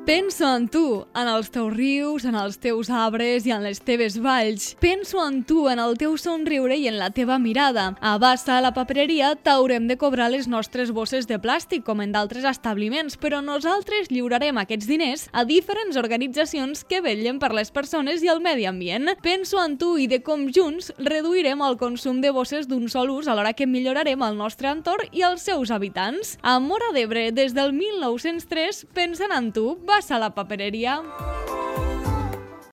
Penso en tu, en els teus rius, en els teus arbres i en les teves valls. Penso en tu, en el teu somriure i en la teva mirada. A Bassa, a la papereria, t'haurem de cobrar les nostres bosses de plàstic, com en d'altres establiments, però nosaltres lliurarem aquests diners a diferents organitzacions que vetllen per les persones i el medi ambient. Penso en tu i de com junts reduirem el consum de bosses d'un sol ús alhora que millorarem el nostre entorn i els seus habitants. A Móra d'Ebre, des del 1903, pensant en tu, Bassa, a la papereria.